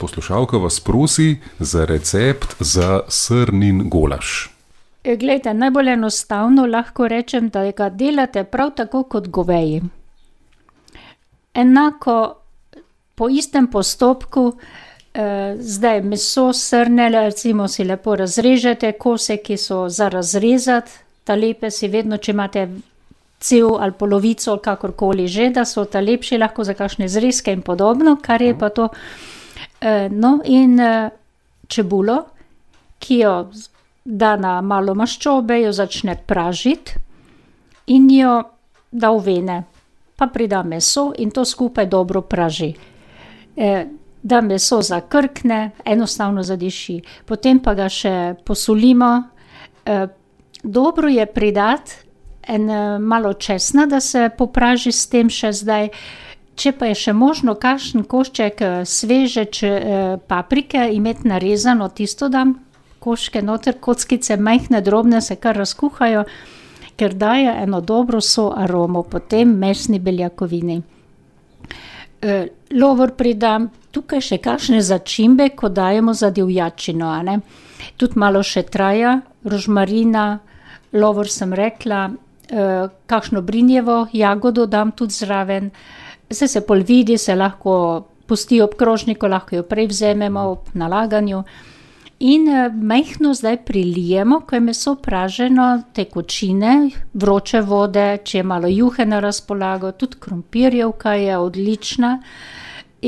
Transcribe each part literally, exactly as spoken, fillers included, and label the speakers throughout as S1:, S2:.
S1: Poslušalka vas prosi za recept za srnin golaž.
S2: Glejte, najbolj enostavno lahko rečem, da ga delate prav tako kot goveji. Enako po istem postopku, eh, zdaj meso srne, recimo si lepo razrežete, kose, ki so za razrezati, talepe si vedno, če imate cel ali polovico, kakorkoli že, da so ta lepši lahko za kakšne zrezke in podobno, kar je pa to. No, in čebulo, ki jo da na malo maščobe, jo začne pražiti in jo da v vene. Pa prida meso in to skupaj dobro praži. Da meso zakrkne, enostavno zadiši. Potem pa ga še posolimo. Dobro je pridati en malo česna, da se popraži s tem še zdaj. Če pa je še možno kakšen košček sveže paprike imeti narezano, tisto dam koščke noter, kockice majhne, drobne se kar razkuhajo, ker daje eno dobro soaromo potem mesni beljakovini. Lovor pridam, tukaj še kakšne začimbe, ko dajemo za divjačino, a ne. Tudi malo še traja, rožmarina, lovor sem rekla, kakšno brinjevo jagodo dam tudi zraven. Saj se pol vidi, se lahko pusti ob krožniku, lahko jo prej vzamemo ob nalaganju. In majhno zdaj prilijemo, ko je meso praženo, tekočine, vroče vode, če je malo juhe na razpolago, tudi krompirjevka je odlična.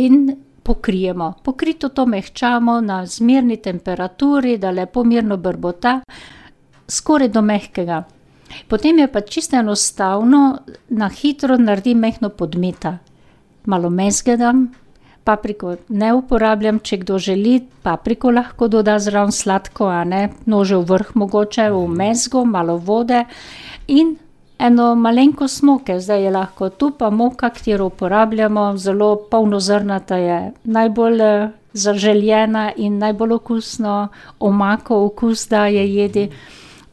S2: In pokrijemo. Pokrito to mehčamo na zmerni temperaturi, da lepo mirno brbota, skoraj do mehkega. Potem je pa čisto enostavno, na hitro naredim majhno podmeta. Malo mezge dam, papriko ne uporabljam, če kdo želi, papriko lahko doda zraven sladko, a ne, nože v vrh mogoče, v mezgo, malo vode in eno malenkost moke, zdaj je lahko tu pa moka, katero uporabljamo, zelo polnozrnata je, najbolj zaželjena in najbolj okusno, omako okus daje jedi.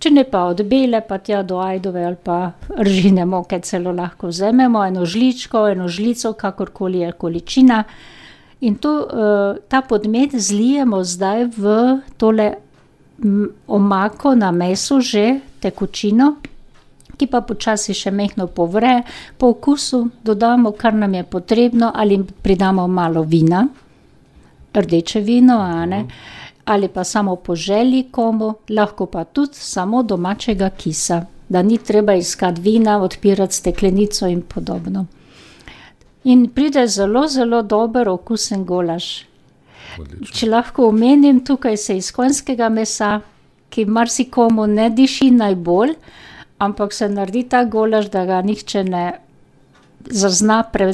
S2: Če ne pa od bele, pa tja do ajdove ali pa ržine moke celo lahko vzamemo, eno žličko, eno žlico, kakorkoli je količina. In to, ta podmet zlijemo zdaj v tole omako na meso že, tekočino, ki pa počasi še majhno povre. Po okusu dodamo, kar nam je potrebno, ali pridamo malo vina, rdeče vino, a ne. Ali pa samo po želji komu, lahko pa tudi samo domačega kisa, da ni treba iskati vina, odpirati steklenico in podobno. In pride zelo, zelo dober okusen golaž. Odlično. Če lahko omenim, tukaj se iz konjskega mesa, ki marsikomu ne diši najbolj, ampak se naredi ta golaž, da ga nihče ne zazna, pre,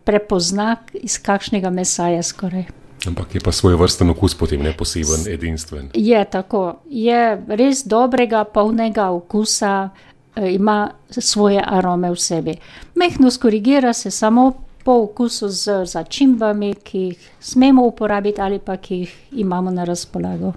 S2: prepozna, iz kakšnega mesa je skoraj.
S1: Ampak je pa svojevrsten okus potem, ne poseben, edinstven.
S2: Je tako, je res dobrega, polnega okusa, ima svoje arome v sebi. Majhno skorigira se samo po okusu z začimbami, ki jih smemo uporabiti ali pa ki jih imamo na razpolago.